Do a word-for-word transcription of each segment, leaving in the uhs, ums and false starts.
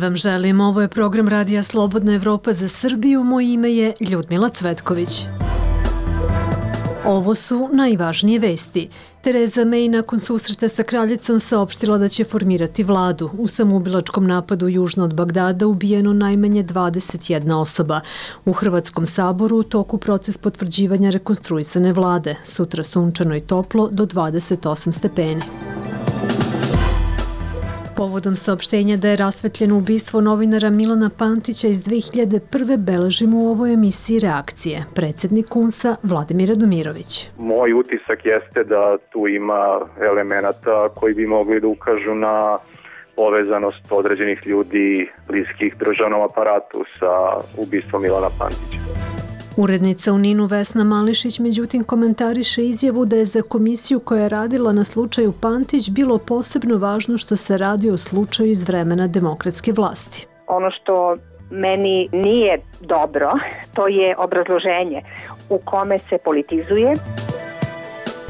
vam želim. Ovo je program Radija Slobodna Evropa za Srbiju. Moje ime je Ljudmila Cvetković. Ovo su najvažnije vesti. Tereza May nakon susreta sa kraljicom saopštila da će formirati vladu. U samoubilačkom napadu južno od Bagdada ubijeno najmanje dvadeset jedna osoba. U Hrvatskom saboru u toku proces potvrđivanja rekonstruisane vlade. Sutra sunčano i toplo do dvadeset osam stepeni. Povodom saopštenja da je rasvetljeno ubistvo novinara Milana Pantića iz dve hiljade prve beležimo u ovoj emisiji reakcije. Predsjednik U N S-a Vladimir Radomirović. Moj utisak jeste da tu ima elemenata koji bi mogli da ukažu na povezanost određenih ljudi bliskih državnom aparatu sa ubistvom Milana Pantića. Urednica u Ninu Vesna Mališić međutim komentariše izjavu da je za komisiju koja je radila na slučaju Pantić bilo posebno važno što se radi o slučaju iz vremena demokratske vlasti. Ono što meni nije dobro, to je obrazloženje u kome se politizuje.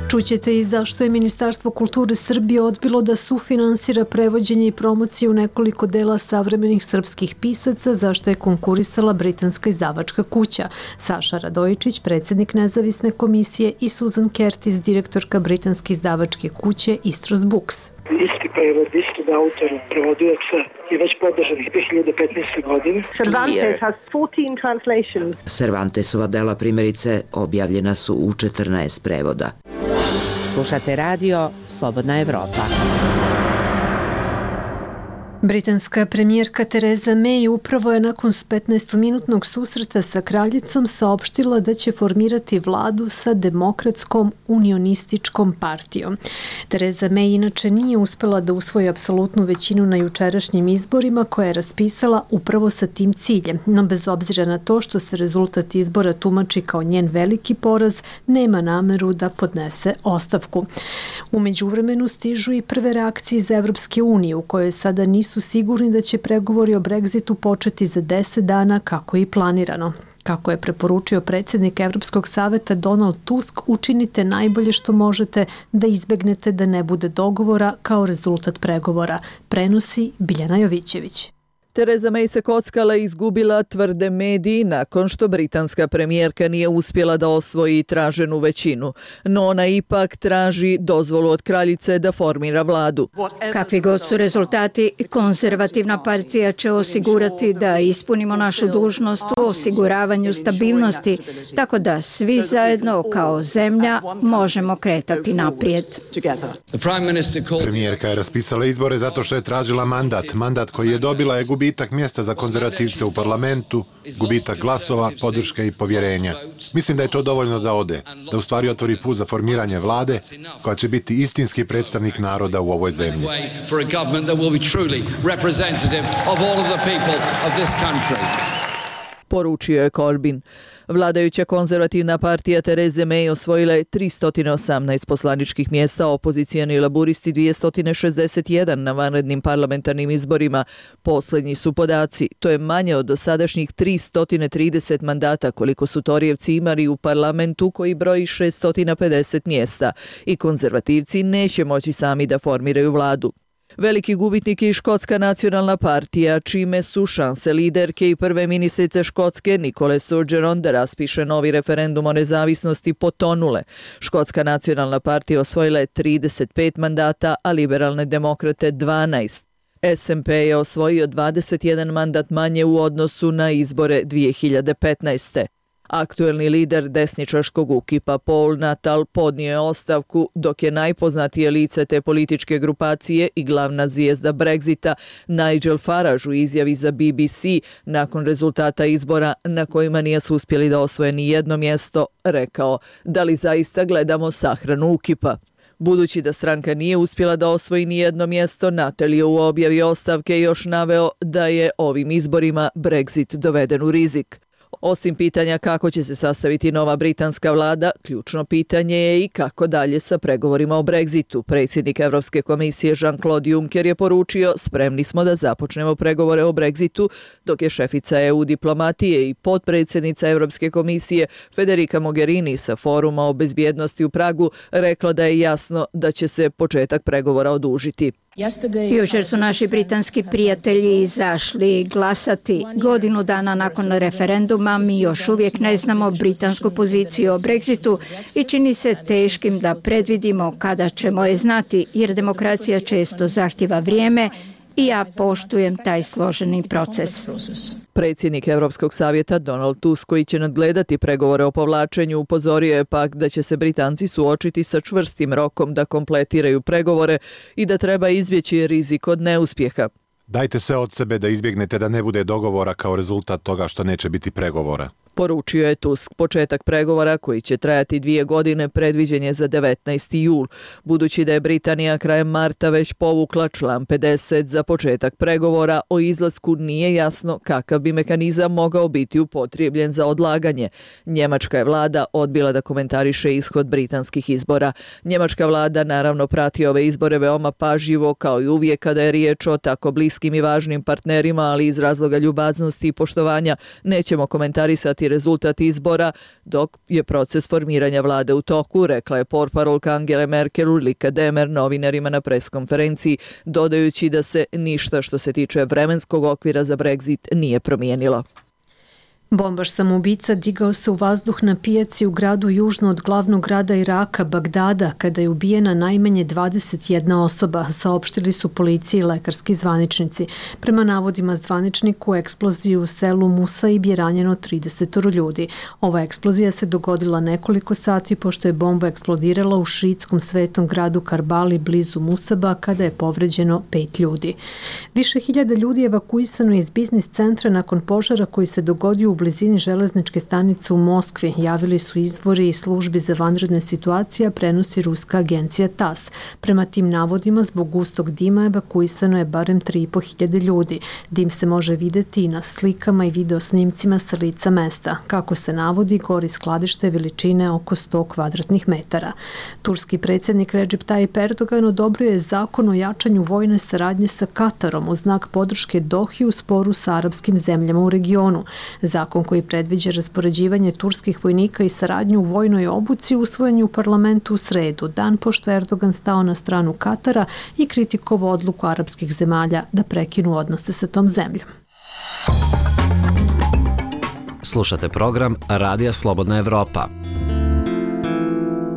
Čućete i zašto je Ministarstvo kulture Srbije odbilo da sufinansira prevođenje i promociju nekoliko dela savremenih srpskih pisaca, zašto je konkurisala britanska izdavačka kuća. Saša Radojičić, predsjednik nezavisne komisije, i Susan Curtis, direktorka britanske izdavačke kuće Istros Books. Isti prevod, istog autora, prevodilaca je već podržan dve hiljade petnaeste. godine. Cervantes has fourteen translations. Cervantesova dela primjerice objavljena su u četrnaest prevoda. Slušate radio Slobodna Evropa. Britanska premijerka Tereza May upravo je nakon petnaestominutnog susreta sa kraljicom saopštila da će formirati vladu sa Demokratskom unionističkom partijom. Tereza May inače nije uspela da usvoji apsolutnu većinu na jučerašnjim izborima koje je raspisala upravo sa tim ciljem, no bez obzira na to što se rezultat izbora tumači kao njen veliki poraz, nema nameru da podnese ostavku. U međuvremenu stižu i prve reakcije iz Evropske unije u kojoj sada nisu su sigurni da će pregovori o Brexitu početi za deset dana kako je i planirano. Kako je preporučio predsjednik Evropskog saveta Donald Tusk, učinite najbolje što možete da izbegnete da ne bude dogovora kao rezultat pregovora, prenosi Biljana Jovićević. Tereza May se kockala i izgubila, tvrde mediji, nakon što britanska premijerka nije uspjela da osvoji traženu većinu. No ona ipak traži dozvolu od kraljice da formira vladu. Kakvi god su rezultati, konzervativna partija će osigurati da ispunimo našu dužnost u osiguravanju stabilnosti, tako da svi zajedno kao zemlja možemo kretati naprijed. Premijerka je raspisala izbore zato što je tražila mandat. Mandat koji je dobila je gubitak mjesta za konzervativce u parlamentu, gubitak glasova, podrške i povjerenja. Mislim da je to dovoljno da ode, da u stvari otvori put za formiranje vlade koja će biti istinski predstavnik naroda u ovoj zemlji. Poručio je Corbyn. Vladajuća konzervativna partija Tereze May osvojila je tristo osamnaest poslaničkih mjesta, opozicijani laburisti dvjesto šezdeset jedan na vanrednim parlamentarnim izborima. Posljednji su podaci. To je manje od dosadašnjih tristo trideset mandata koliko su Torijevci imali u parlamentu koji broji šesto pedeset mjesta. I konzervativci neće moći sami da formiraju vladu. Veliki gubitnik je Škotska nacionalna partija, čime su šanse liderke i prve ministrice Škotske Nikole Sturgeon da raspiše novi referendum o nezavisnosti potonule. Škotska nacionalna partija osvojila je trideset pet mandata, a liberalne demokrate dvanaest. S N P je osvojio dvadeset jedan mandat manje u odnosu na izbore dve hiljade petnaeste. Aktuelni lider desničarskog ukipa Paul Natal podnio je ostavku, dok je najpoznatije lice te političke grupacije i glavna zvijezda Brexita Nigel Farage u izjavi za B B C nakon rezultata izbora na kojima nije su uspjeli da osvoje ni jedno mjesto, rekao: da li zaista gledamo sahranu ukipa? Budući da stranka nije uspjela da osvoji ni jedno mjesto, Natal je u objavi ostavke još naveo da je ovim izborima Brexit doveden u rizik. Osim pitanja kako će se sastaviti nova britanska vlada, ključno pitanje je i kako dalje sa pregovorima o Brexitu. Predsjednik Evropske komisije Jean-Claude Juncker je poručio: spremni smo da započnemo pregovore o Brexitu, dok je šefica E U diplomatije i potpredsjednica Evropske komisije Federica Mogherini sa foruma o bezbjednosti u Pragu rekla da je jasno da će se početak pregovora odužiti. Jučer su naši britanski prijatelji izašli glasati. Godinu dana nakon referenduma mi još uvijek ne znamo britansku poziciju o Brexitu i čini se teškim da predvidimo kada ćemo je znati, jer demokracija često zahtjeva vrijeme i ja poštujem taj složeni proces. Predsjednik Europskog savjeta Donald Tusk, koji će nadgledati pregovore o povlačenju, upozorio je pak da će se Britanci suočiti sa čvrstim rokom da kompletiraju pregovore i da treba izbjeći rizik od neuspjeha. Dajte sve od sebe da izbjegnete da ne bude dogovora kao rezultat toga što neće biti pregovora. Poručio je Tusk. Početak pregovora, koji će trajati dvije godine, predviđen je za devetnaesti jul. Budući da je Britanija krajem marta već povukla član pedeset za početak pregovora, o izlasku nije jasno kakav bi mehanizam mogao biti upotrijebljen za odlaganje. Njemačka je vlada odbila da komentariše ishod britanskih izbora. Njemačka vlada naravno prati ove izbore veoma pažljivo, kao i uvijek kada je riječ o tako bliskim i važnim partnerima, ali iz razloga ljubaznosti i poštovanja nećemo komentarisati rezultat izbora dok je proces formiranja vlade u toku, rekla je portparolka Angele Merkel Ulrike Demer novinarima na preskonferenciji, dodajući da se ništa što se tiče vremenskog okvira za Brexit nije promijenilo. Bombaš samoubica digao se u vazduh na pijaci u gradu južno od glavnog grada Iraka, Bagdada, kada je ubijena najmanje dvadeset jedna osoba, saopštili su policiji i lekarski zvaničnici. Prema navodima zvaničniku, u eksploziju u selu Musaib je ranjeno trideset ljudi. Ova eksplozija se dogodila nekoliko sati pošto je bomba eksplodirala u šiitskom svetom gradu Karbali blizu Musaba, kada je povređeno pet ljudi. Više hiljada ljudi je evakuisano iz biznis centra nakon požara koji se dogodio u blizini železničke stanice u Moskvi, javili su izvori i službi za vanredne situacije, prenosi ruska agencija TAS. Prema tim navodima, zbog gustog dima evakuisano je barem tri i po hiljade ljudi. Dim se može vidjeti i na slikama i videosnimcima sa lica mesta. Kako se navodi, gori skladište veličine oko sto kvadratnih metara. Turski predsjednik Recep Tayyip Erdogan odobrio je zakon o jačanju vojne saradnje sa Katarom u znak podrške Dohi u sporu sa arapskim zemljama u regionu. Zakon koji predviđa raspoređivanje turskih vojnika i saradnju u vojnoj obuci usvojen je u parlamentu u sredu, dan pošto je Erdogan stao na stranu Katara i kritikovao odluku arapskih zemalja da prekinu odnose sa tom zemljom. Slušate program Radija Slobodna Evropa.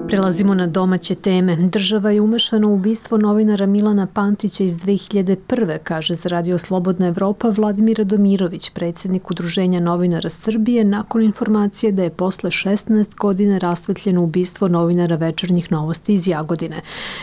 Prelazimo na domaće teme. Država je umešana u ubistvo novinara Milana Pantića iz dve hiljade prve, kaže za Radio Slobodna Evropa Vladimir Radomirović, predsjednik Udruženja novinara Srbije, nakon informacije da je posle šesnaest godina rasvetljeno ubistvo novinara Večernjih novosti iz Jagodine.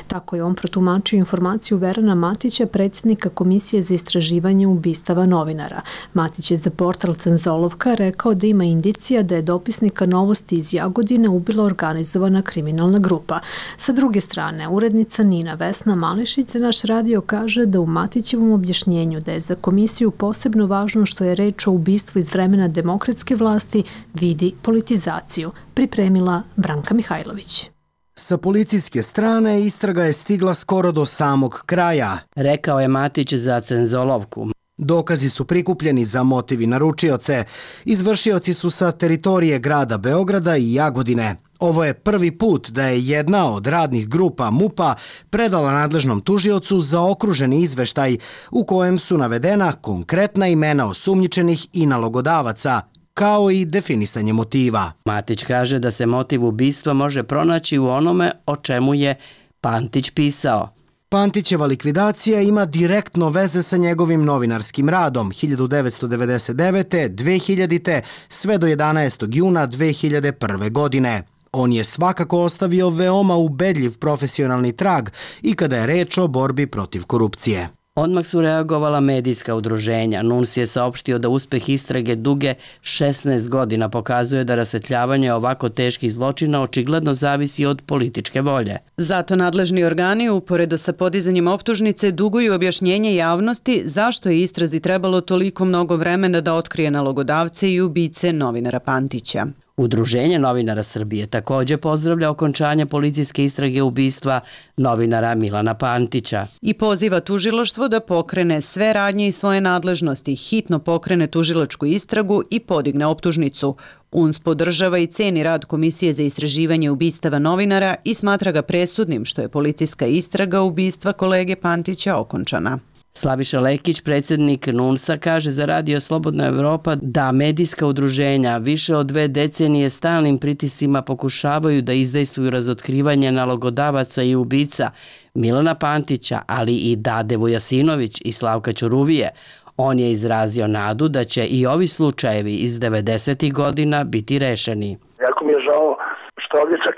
Tako je on protumačio informaciju Verana Matića, predsjednika Komisije za istraživanje ubistava novinara. Matić je za portal Cenzolovka rekao da ima indicija da je dopisnika novosti iz Jagodine ubila organizovana kriminalna grupa. Sa druge strane, urednica Nina Vesna Mališić za naš radio kaže da u Matićevom objašnjenju da je za komisiju posebno važno što je reč o ubistvu iz vremena demokratske vlasti vidi politizaciju. Pripremila Branka Mihajlović. Sa policijske strane istraga je stigla skoro do samog kraja, rekao je Matić za Cenzolovku. Dokazi su prikupljeni za motiv i naručioce. Izvršioci su sa teritorije grada Beograda i Jagodine. Ovo je prvi put da je jedna od radnih grupa MUP-a predala nadležnom tužiocu za okruženi izveštaj u kojem su navedena konkretna imena osumnjičenih i nalogodavaca, kao i definisanje motiva. Matić kaže da se motiv ubistva može pronaći u onome o čemu je Pantić pisao. Pantićeva likvidacija ima direktno veze sa njegovim novinarskim radom hiljadu devetsto devedeset devete. dve hiljadite. sve do jedanaestog juna dve hiljade prve. godine. On je svakako ostavio veoma ubedljiv profesionalni trag i kada je reč o borbi protiv korupcije. Odmah su reagovala medijska udruženja. N U N S je saopštio da uspeh istrage duge šesnaest godina pokazuje da rasvetljavanje ovako teških zločina očigledno zavisi od političke volje. Zato nadležni organi, uporedo sa podizanjem optužnice, duguju objašnjenje javnosti zašto je istrazi trebalo toliko mnogo vremena da otkrije nalogodavce i ubice novinara Pantića. Udruženje novinara Srbije također pozdravlja okončanje policijske istrage ubistva novinara Milana Pantića. I poziva tužilaštvo da pokrene sve radnje i svoje nadležnosti, hitno pokrene tužilačku istragu i podigne optužnicu. U N S podržava i ceni rad Komisije za istraživanje ubistava novinara i smatra ga presudnim što je policijska istraga ubistva kolege Pantića okončana. Slaviša Lekić, predsjednik N U N S-a, kaže za Radio Slobodna Evropa da medijska udruženja više od dve decenije stalnim pritiscima pokušavaju da izdejstvuju razotkrivanje nalogodavaca i ubica Milana Pantića, ali i Dade Vujasinović i Slavka Ćuruvije. On je izrazio nadu da će i ovi slučajevi iz devedesetih godina biti rešeni. Jako mi je žao što ovdje čak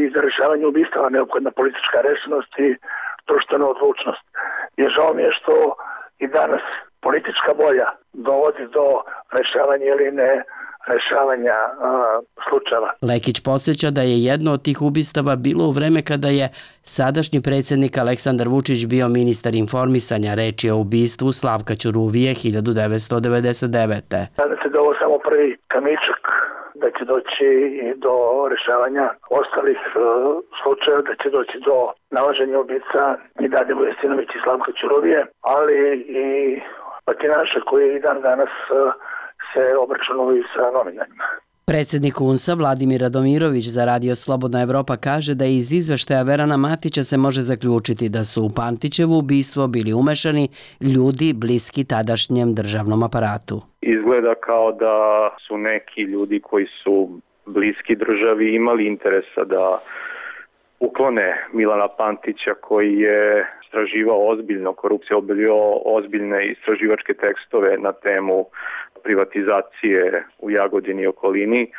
i za rešavanje ubistava neophodna politička rešenost i društvena odlučnost. I žao mi je što i danas politička volja dovodi do rešavanja ili ne rešavanja a, slučajeva. Lekić podsjeća da je jedno od tih ubistava bilo u vreme kada je sadašnji predsjednik Aleksandar Vučić bio ministar informisanja. Reč je o ubistvu Slavka Ćuruvije hiljadu devetsto devedeset devete. Nadam se da ovo samo prvi kamičak, da će doći i do rešavanja ostalih uh, slučajeva, da će doći do nalaženja ubica i Dade Vujasinović i Slavka Ćuruvije, ali i batinaša koji i dan danas uh, se obračunaju sa novinarima. Predsjednik U N S-a Vladimir Radomirović za Radio Slobodna Evropa kaže da iz izveštaja Verana Matića se može zaključiti da su u Pantićevo ubistvo bili umešani ljudi bliski tadašnjem državnom aparatu. Izgleda kao da su neki ljudi koji su bliski državi imali interesa da uklone Milana Pantića koji je istraživao ozbiljno korupciju, objavio ozbiljne istraživačke tekstove na temu privatizacije u Jagodini i okolini,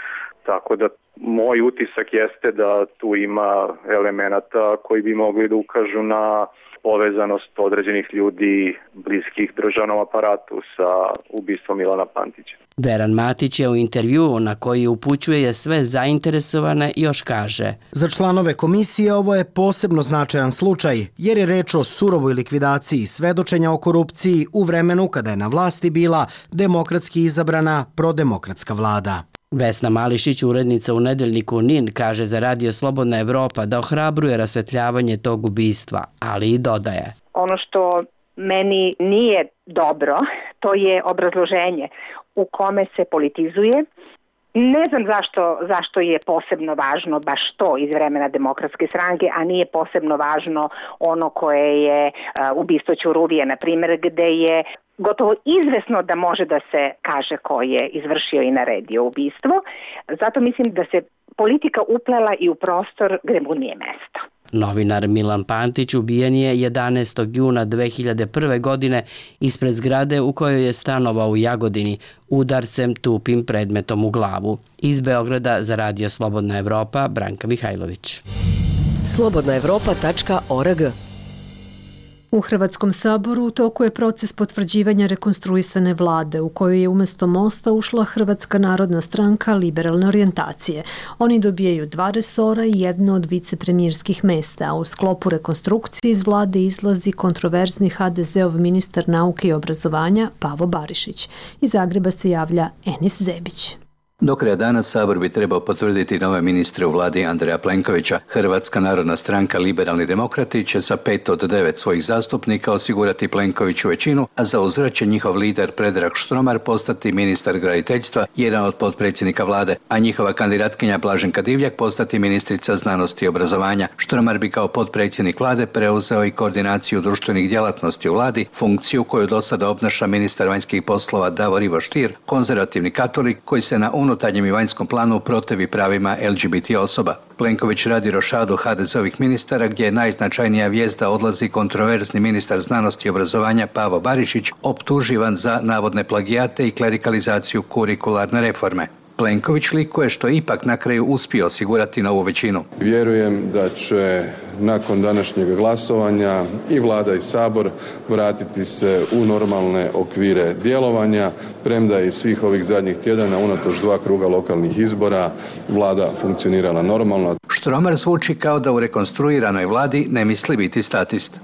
tako da moj utisak jeste da tu ima elemenata koji bi mogli da ukažu na povezanost određenih ljudi bliskih državnom aparatu sa ubistvom Milana Pantića. Veran Matić je u intervjuu na koji upućuje sve zainteresovane još kaže: Za članove komisije ovo je posebno značajan slučaj, jer je reč o surovoj likvidaciji svedočenja o korupciji u vremenu kada je na vlasti bila demokratski izabrana prodemokratska vlada. Vesna Mališić, urednica u nedeljniku N I N, kaže za Radio Slobodna Evropa da ohrabruje rasvetljavanje tog ubistva, ali i dodaje: Ono što meni nije dobro, to je obrazloženje u kome se politizuje. Ne znam zašto, zašto je posebno važno baš to iz vremena Demokratske stranke, a nije posebno važno ono koje je uh, ubistvo Ćuruvije, na primjer, gde je gotovo izvesno da može da se kaže ko je izvršio i naredio ubistvo. Zato mislim da se politika uplela i u prostor gde mu nije mesto. Novinar Milan Pantić ubijen je jedanaestog juna dve hiljade prve. godine ispred zgrade u kojoj je stanovao u Jagodini udarcem tupim predmetom u glavu. Iz Beograda za Radio Slobodna Evropa, Branka Mihajlović. slobodna evropa tačka org. U Hrvatskom saboru u toku je proces potvrđivanja rekonstruisane vlade u kojoj je umjesto Mosta ušla Hrvatska narodna stranka liberalne orijentacije. Oni dobijaju dva resora i jedno od vicepremjerskih mesta, a u sklopu rekonstrukcije iz vlade izlazi kontroverzni ha de zeov ministar nauke i obrazovanja Pavo Barišić. Iz Zagreba se javlja Enis Zebić. Do kraja dana Sabor bi trebao potvrditi nove ministre u vladi Andreja Plenkovića. Hrvatska narodna stranka Liberalni demokrati će sa pet od devet svojih zastupnika osigurati Plenkoviću većinu, a za uzvrat će njihov lider Predrag Štromar postati ministar graditeljstva, jedan od potpredsjednika vlade, a njihova kandidatkinja Blaženka Divjak postati ministrica znanosti i obrazovanja. Štromar bi kao potpredsjednik vlade preuzeo i koordinaciju društvenih djelatnosti u vladi, funkciju koju do sada obnaša ministar vanjskih poslova Davor Ivo Stier, konzervativni katolik koji se na unutarnjem i vanjskom planu protivi pravima el ge be te osoba. Plenković radi rošadu ha de zeovih ministara gdje je najznačajnija vijest da odlazi kontroverzni ministar znanosti i obrazovanja Pavo Barišić, optuživan za navodne plagijate i klerikalizaciju kurikularne reforme. Plenković likuje što ipak na kraju uspio osigurati novu većinu. Vjerujem da će nakon današnjeg glasovanja i vlada i Sabor vratiti se u normalne okvire djelovanja, premda je i svih ovih zadnjih tjedana unatoč dva kruga lokalnih izbora vlada funkcionirala normalno. Štromar zvuči kao da u rekonstruiranoj vladi ne misli biti statist.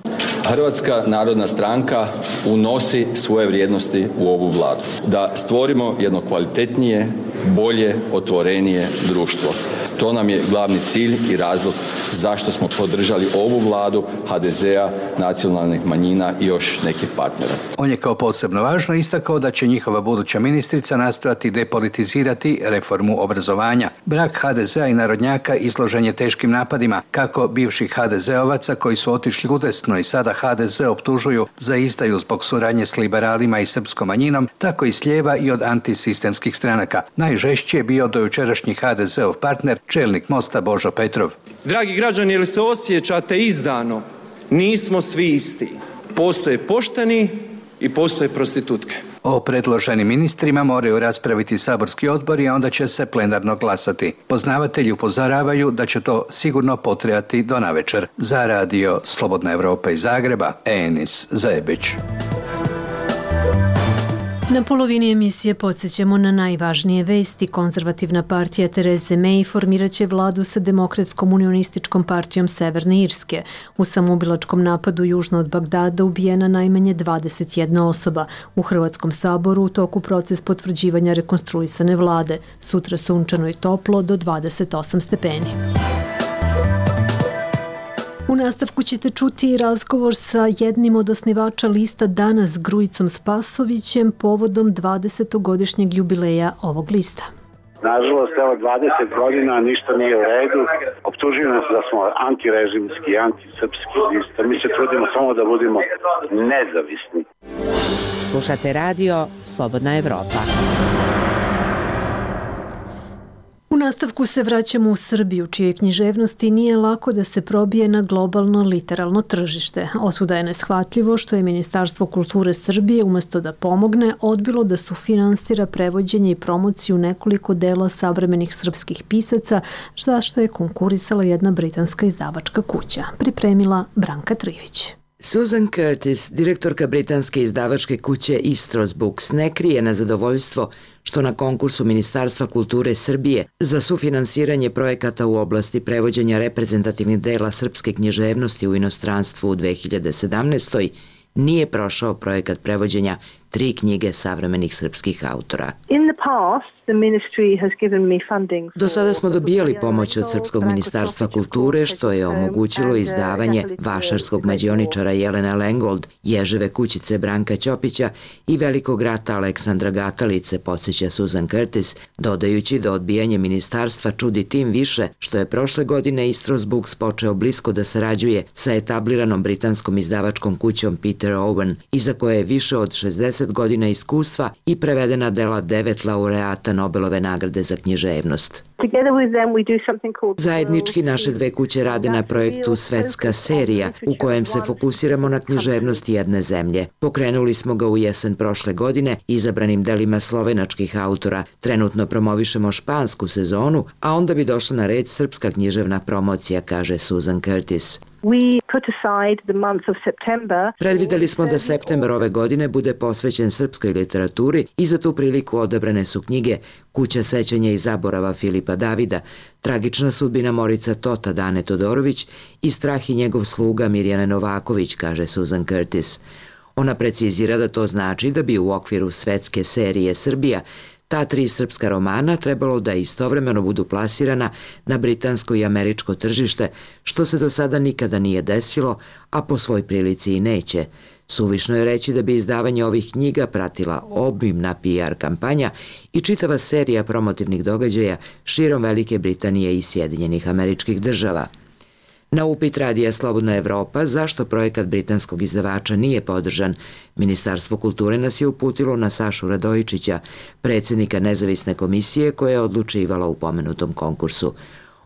Hrvatska narodna stranka unosi svoje vrijednosti u ovu vladu. Da stvorimo jedno kvalitetnije bolje, otvorenije društvo. To nam je glavni cilj i razlog zašto smo podržali ovu vladu ha de zea, nacionalnih manjina i još nekih partnera. On je kao posebno važno istakao da će njihova buduća ministrica nastojati depolitizirati reformu obrazovanja. Brak ha de zea i narodnjaka izložen je teškim napadima, kako bivših ha de zeovaca koji su otišli udesno i sada ha de ze optužuju za izdaju zbog suradnje s liberalima i srpskom manjinom, tako i s lijeva i od antisistemskih stranaka. Najžešći je bio dojučerašnji ha de zeov partner, čelnik Mosta Božo Petrov. Dragi građani, jel se osjećate izdano? Nismo svi isti. Postoje pošteni i postoje prostitutke. O predloženim ministrima moraju raspraviti saborski odbor i onda će se plenarno glasati. Poznavatelji upozoravaju da će to sigurno potrajati do navečer. Za radio Slobodna Evropa iz Zagreba, Enis Zebić. Na polovini emisije podsjećamo na najvažnije vesti. Konzervativna partija Tereze May formirat će vladu sa Demokratskom unionističkom partijom Severne Irske. U samoubilačkom napadu južno od Bagdada ubijena najmanje dvadeset jedna osoba. U Hrvatskom saboru u toku proces potvrđivanja rekonstruisane vlade. Sutra sunčano i toplo do dvadeset osam stepeni. U nastavku ćete čuti razgovor sa jednim od osnivača lista Danas, Grujicom Spasovićem, povodom dvadesetogodišnjeg jubileja ovog lista. Nažalost, evo dvadeset godina ništa nije u redu. Optužuju nas da smo antirežimski, antisrpski lista. Mi se trudimo samo da budemo nezavisni. Slušate radio Slobodna Evropa. U nastavku se vraćamo u Srbiju, čijoj književnosti nije lako da se probije na globalno literalno tržište. Otuda je neshvatljivo što je Ministarstvo kulture Srbije, umesto da pomogne, odbilo da sufinansira prevođenje i promociju nekoliko dela savremenih srpskih pisaca, za što je konkurisala jedna britanska izdavačka kuća. Pripremila Branka Trivić. Susan Curtis, direktorka britanske izdavačke kuće Istros Books, ne krije nezadovoljstvo što na konkursu Ministarstva kulture Srbije za sufinansiranje projekata u oblasti prevođenja reprezentativnih dela srpske književnosti u inostranstvu u dve hiljade sedamnaestoj nije prošao projekat prevođenja tri knjige savremenih srpskih autora. Do sada smo dobijali pomoć od Srpskog ministarstva kulture, što je omogućilo izdavanje vašarskog mađioničara Jelene Lengold, Ježeve kućice Branka Ćopića i velikog rata Aleksandra Gatalice, podsjeća Susan Curtis, dodajući da odbijanje ministarstva čudi tim više što je prošle godine Istros Books počeo blisko da sarađuje sa etabliranom britanskom izdavačkom kućom Peter Owen, iza koje je više od šezdeset godina iskustva i prevedena dela devet laureata Nobelove nagrade za književnost. Zajednički naše dve kuće rade na projektu Svetska serija, u kojem se fokusiramo na književnost jedne zemlje. Pokrenuli smo ga u jesen prošle godine izabranim delima slovenačkih autora. Trenutno promovišemo špansku sezonu, a onda bi došla na red srpska književna promocija, kaže Susan Curtis. Predvideli smo da septembar ove godine bude posvećen srpskoj literaturi i za tu priliku odabrane su knjige Kuća sećanja i zaborava Filipa Davida, Tragična sudbina Morica Tota Dane Todorović i Strah i njegov sluga Mirjane Novaković, kaže Susan Curtis. Ona precizira da to znači da bi u okviru Svetske serije Srbija ta tri srpska romana trebalo da istovremeno budu plasirana na britansko i američko tržište, što se do sada nikada nije desilo, a po svoj prilici i neće. Suvišno je reći da bi izdavanje ovih knjiga pratila obimna P R kampanja i čitava serija promotivnih događaja širom Velike Britanije i Sjedinjenih Američkih Država. Na upit radija Slobodna Evropa zašto projekat britanskog izdavača nije podržan, Ministarstvo kulture nas je uputilo na Sašu Radojičića, predsjednika nezavisne komisije koja je odlučivala u pomenutom konkursu.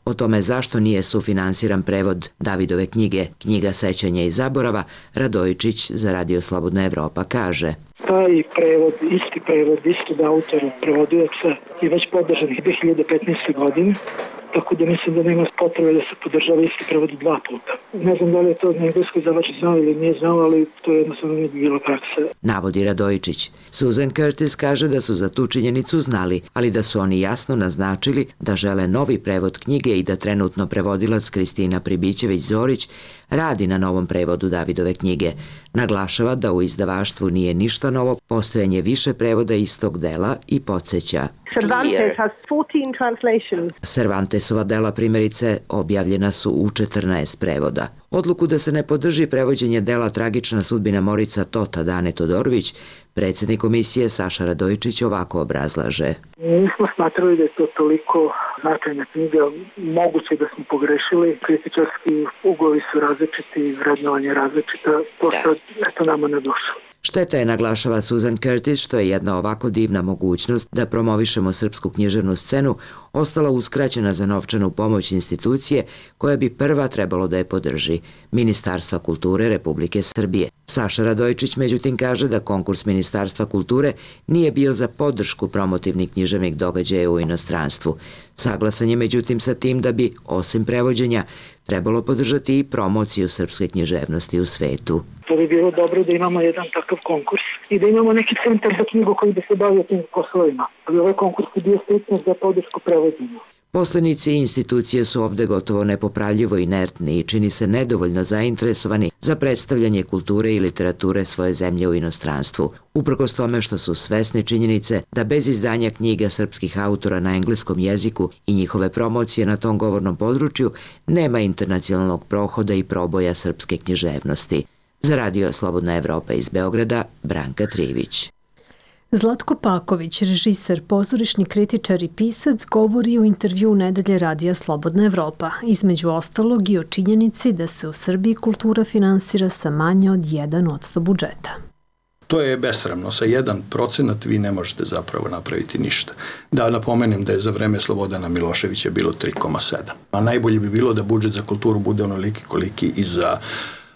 O tome zašto nije sufinansiran prevod Davidove knjige Knjiga sećanja i zaborava, Radojičić za radio Slobodna Evropa kaže: Taj prevod, isti prevod, istog autora, prevodioca je već podržan dve hiljade petnaeste. godine. Tako da mislim da nema potrebe da se podržava isti prevod dva puta. Ne znam da li je to na engleskoj izdavač znao ili nije znao, ali to je jednostavno nije bila praksa. Navodi Radojičić. Susan Curtis kaže da su za tu činjenicu znali, ali da su oni jasno naznačili da žele novi prevod knjige i da trenutno prevodilac Kristina Pribićević-Zorić radi na novom prevodu Davidove knjige. Naglašava da u izdavaštvu nije ništa novo postojanje više prevoda istog dela i podsjeća. Cervantes has fourteen translations. Cervantesova dela primjerice objavljena su u četrnaest prevoda. Odluku da se ne podrži prevođenje dela Tragična sudbina Morica Tota Dane Todorović, predsjednik komisije Saša Radojičić ovako obrazlaže. Nismo smatrali da je to toliko značajna knjiga, moguće da smo pogrešili, kritičarski ugovi su različiti, vrednovanje različita, to što eto nama ne došlo. Šteta je, naglašava Susan Curtis, što je jedna ovako divna mogućnost da promovišemo srpsku književnu scenu ostala uskraćena za novčanu pomoć institucije koja bi prva trebalo da je podrži, Ministarstva kulture Republike Srbije. Saša Radojičić međutim kaže da konkurs Ministarstva kulture nije bio za podršku promotivnih književnih događaja u inostranstvu. Saglasan je međutim sa tim da bi, osim prevođenja, trebalo podržati i promociju srpske književnosti u svetu. To bi bilo dobro da imamo jedan takav konkurs i da imamo neki centar za knjigu koji bi se bavio tim poslovima. Ali ovaj konkurs je bio striktno za podršku prevođenja. Poslanici i institucije su ovde gotovo nepopravljivo inertni i čini se nedovoljno zainteresovani za predstavljanje kulture i literature svoje zemlje u inostranstvu, uprkos tome što su svesni činjenice da bez izdanja knjiga srpskih autora na engleskom jeziku i njihove promocije na tom govornom području nema internacionalnog prohoda i proboja srpske književnosti. Za Radio Slobodna Evropa iz Beograda, Branka Trivić. Zlatko Paković, režiser, pozorišni kritičar i pisac, govori u intervju Nedelje Radija Slobodna Evropa, između ostalog i o činjenici da se u Srbiji kultura finansira sa manje od jedan posto budžeta. To je besramno. Sa jedan procenat vi ne možete zapravo napraviti ništa. Da napomenem da je za vreme Slobodana Miloševića bilo tri zarez sedam. A najbolje bi bilo da budžet za kulturu bude onoliki koliki i za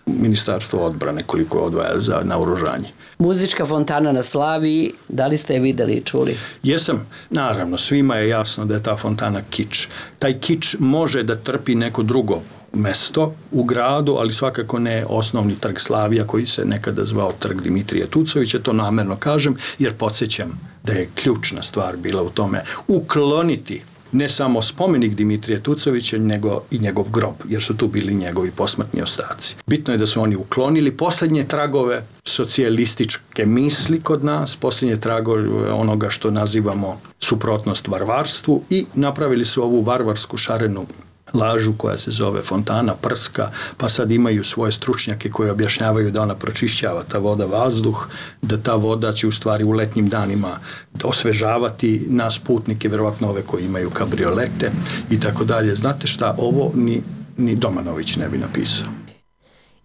Ministarstvo odbrane, koliko odvaja za naoružanje. Muzička fontana na Slaviji, da li ste je videli i čuli? Jesam, naravno, svima je jasno da je ta fontana kič. Taj kič može da trpi neko drugo mesto u gradu, ali svakako ne osnovni trg Slavija koji se nekada zvao trg Dimitrija Tucovića, to namerno kažem, jer podsjećam da je ključna stvar bila u tome ukloniti ne samo spomenik Dimitrija Tucovića, nego i njegov grob, jer su tu bili njegovi posmrtni ostaci. Bitno je da su oni uklonili poslednje tragove socijalističke misli kod nas, poslednje tragove onoga što nazivamo suprotnost varvarstvu i napravili su ovu varvarsku šarenu lažu koja se zove fontana prska, pa sad imaju svoje stručnjake koji objašnjavaju da ona pročišćava ta voda vazduh, da ta voda će u stvari u letnjim danima osvežavati nas putnike, verovatno ove koji imaju kabriolete i tako dalje. Znate šta, ovo ni, ni Domanović ne bi napisao.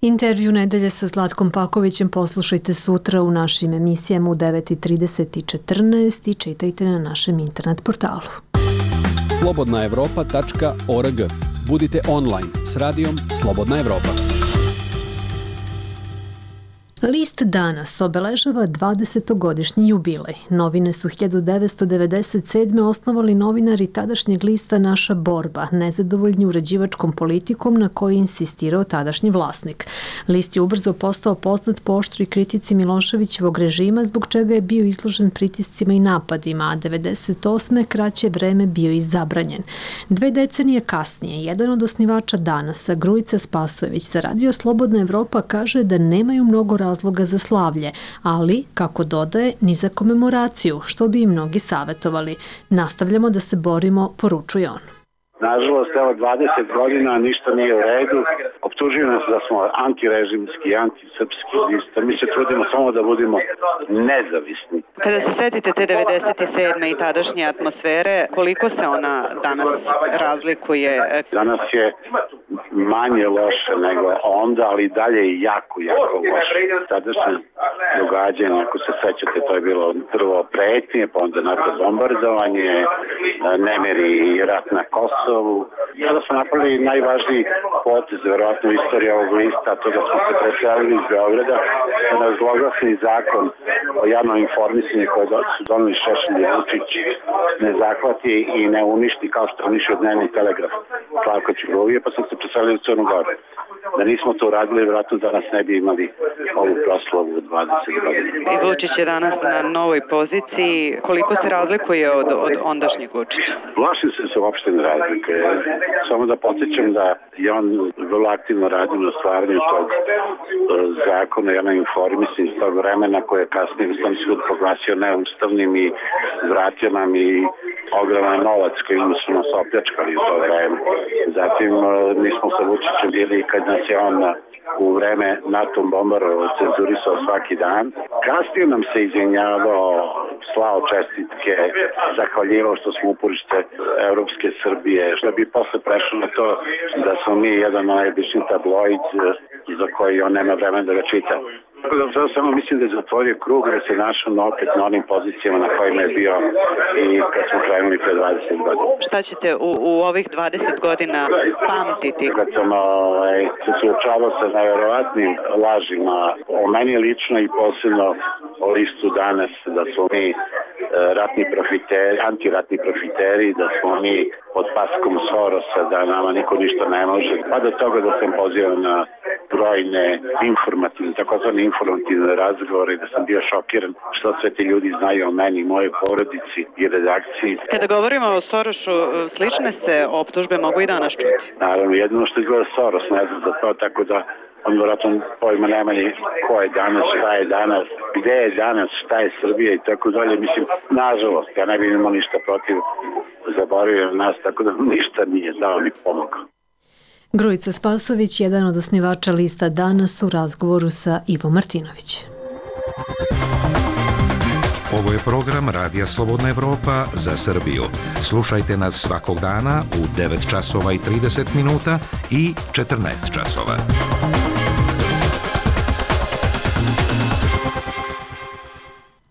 Intervju Nedelje sa Zlatkom Pakovićem poslušajte sutra u našim emisijama u devet trideset i četrnaest i čitajte na našem internet portalu. slobodna evropa tačka org. Budite online s radijom Slobodna Evropa. List danas obeležava dvadesetogodišnji jubilej. Novine su hiljadu devetsto devedeset sedme osnovali novinari tadašnjeg lista Naša borba, nezadovoljni uređivačkom politikom na kojoj je insistirao tadašnji vlasnik. List je ubrzo postao poznat po oštroj kritici Miloševićevog režima, zbog čega je bio izložen pritiscima i napadima, a devedeset osme kraće vreme bio i zabranjen. Dve decenije kasnije, jedan od osnivača Danasa, Grujica Spasojević, za Radio Slobodna Evropa kaže da nemaju mnogo razloga za slavlje, ali, kako dodaje, ni za komemoraciju, što bi i mnogi savjetovali. Nastavljamo da se borimo, poručuje on. Nažalost, evo dvadeset godina ništa nije u redu. Optužuju nas da smo antirežimski, antisrpski lista. Mi se trudimo samo da budemo nezavisni. Kada se setite te devedeset sedme i tadašnje atmosfere, koliko se ona danas razlikuje? Danas je manje loše nego onda, ali dalje je jako, jako loše. Tadašnje događanje, ako se sećate, to je bilo prvo pretnje, pa onda NATO bombardovanje, nemiri i rat na Kosovu. Sada smo napravili najvažniji potez, verovatno u istoriji ovog lista, to da smo se preselili iz Beograda, da zloglasni zakon o javnom informisanju koje su doneli Šešelj i Vučić ne zahvati i ne uništi kao što uništio Dnevni telegraf Slavka Ćuruvije, pa sam se preselili u Crnu Goru. Da nismo to uradili, vjerojatno danas ne bi imali ovu proslavu od dvadeset godina. I Vučić je danas na novoj poziciji. Koliko se razlikuje od, od ondašnjeg Vučića? Plašim se se uopšte ne razlike. Samo da podsjećam da je on vrlo aktivno radio na stvaranju tog zakona i na informisanju iz tog vremena koje je kasnije Ustavni sud proglasio neustavnim i vratio nam i ogroman novac koji su nas opljačkali u to vreme. Zatim mi smo sa Vučićem bili kad nas je on u vreme NATO bombarovao, cenzurisao svaki dan. Kasnije nam se izvinjavao, slao čestitke, zahvaljivao što smo uporište Evropske Srbije, što bi posle prešlo na to da smo mi jedan najobični tabloid za koji on nema vremena da ga čita. Zato samo mislim da je zatvorio krug da se našao opet na onim pozicijama na kojima je bio i kad smo krenuli pre dvadeset godina. Šta ćete u, u ovih dvadeset godina pamtiti? Kad sam ovaj, se suočavao sa najverovatnim lažima o meni lično i posebno o listu danas, da smo mi ratni profiteri, antiratni profiteri, da smo mi pod paskom Sorosa, da nama niko ništa ne može. Pa do toga da sam pozivao na brojne informativne, takozvane informativne razgovore, da sam bio šokiran što sve ti ljudi znaju o meni, moje porodici i redakciji. Kada govorimo o Sorošu, slične se optužbe mogu i danas čuti. Naravno, jedino što izgleda Soros, ne znam za to, tako da on vjerojatno pojma nema ni ko je danas, šta je danas, gde je danas, šta je Srbija i tako dalje. Mislim, nažalost, ja ne bih imao ništa protiv, zaboravio nas, tako da ništa nije dao ni pomogao. Grujica Spasović, jedan od osnivača lista Danas, u razgovoru sa Ivo Martinović. Ovo je program Radija Slobodna Evropa za Srbiju. Slušajte nas svakog dana u devet časova i trideset minuta i četrnaest časova.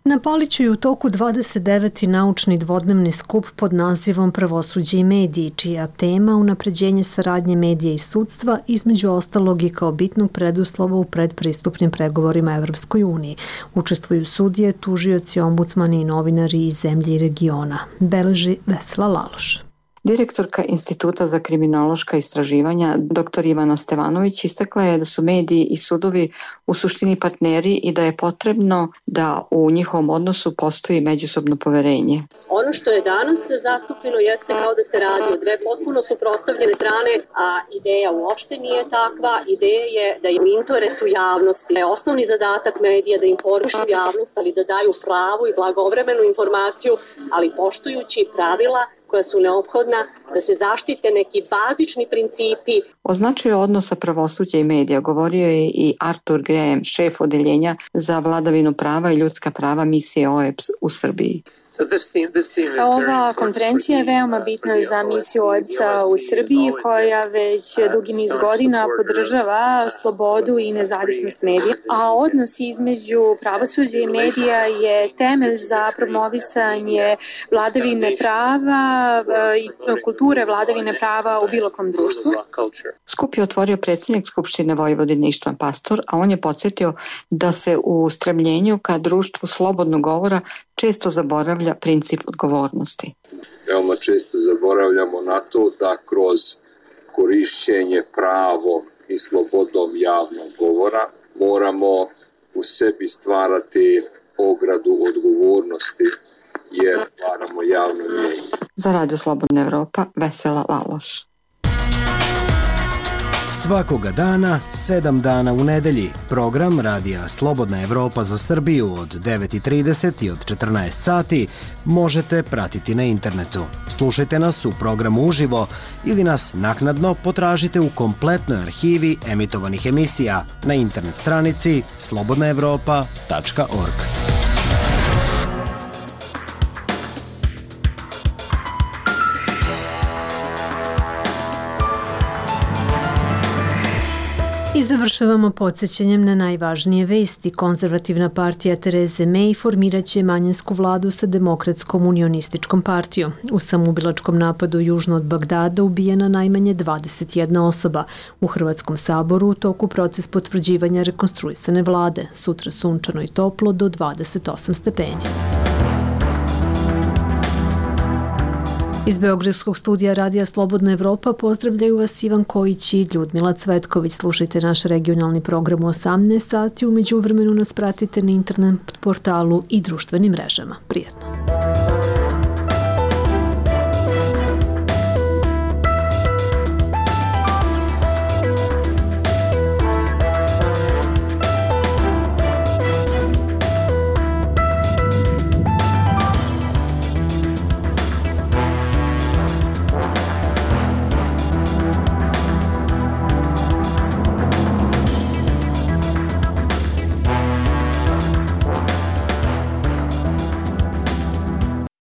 Na Paliću je u toku dvadeset deveti naučni dvodnevni skup pod nazivom Pravosuđe i mediji, čija tema unapređenje saradnje medija i sudstva, između ostalog i kao bitnog preduslova u predpristupnim pregovorima Evropskoj uniji. Učestvuju sudije, tužioci, ombudsmani i novinari iz zemlje i regiona. Beleži Vesela Laloš. Direktorka Instituta za kriminološka istraživanja, dr Ivana Stevanović, istakla je da su mediji i sudovi u suštini partneri i da je potrebno da u njihovom odnosu postoji međusobno poverenje. Ono što je danas zastupljeno jeste kao da se radi o dve potpuno suprotstavljene strane, a ideja uopšte nije takva. Ideja je da je u interesu javnosti. Je osnovni zadatak medija da informišu javnost, ali da daju pravu i blagovremenu informaciju, ali poštujući pravila koja su neophodna da se zaštite neki bazični principi. O značaju odnosa pravosuđa i medija govorio je i Artur Graham, šef odeljenja za vladavinu prava i ljudska prava misije O E B S u Srbiji. Ova konferencija je veoma bitna za misiju O E B S-a u Srbiji, koja već dugi niz godina podržava slobodu i nezavisnost medija, a odnos između pravosuđa i medija je temelj za promovisanje vladavine prava i kulture vladavine prava u bilo kom društvu. Skup je otvorio predsjednik Skupštine Vojvodine Ištvan Pastor, a on je podsjetio da se u stremljenju ka društvu slobodnog govora često zaboravlja princip odgovornosti. Veoma često zaboravljamo na to da kroz korišćenje pravom i slobodom javnog govora moramo u sebi stvarati ogradu odgovornosti jer stvaramo javno mnjenje. Za Radio Slobodna Evropa, Vesela Laloš. Svakoga dana, sedam dana u nedelji, program Radija Slobodna Evropa za Srbiju od devet i trideset i od četrnaest sati možete pratiti na internetu. Slušajte nas u programu uživo ili nas naknadno potražite u kompletnoj arhivi emitovanih emisija na internet stranici slobodna evropa tačka org. I završavamo podsjećanjem na najvažnije vesti. Konzervativna partija Tereze May formiraće manjinsku vladu sa Demokratskom unionističkom partijom. U samoubilačkom napadu južno od Bagdada ubijena najmanje dvadeset jedna osoba. U Hrvatskom saboru u toku proces potvrđivanja rekonstruisane vlade. Sutra sunčano i toplo do dvadeset osam stepeni. Iz Beogradskog studija Radija Slobodna Evropa pozdravljaju vas Ivan Kojić i Ljudmila Cvetković. Slušajte naš regionalni program u osamnaest sati. Umeđu vremenu nas pratite na internet portalu i društvenim mrežama. Prijetno.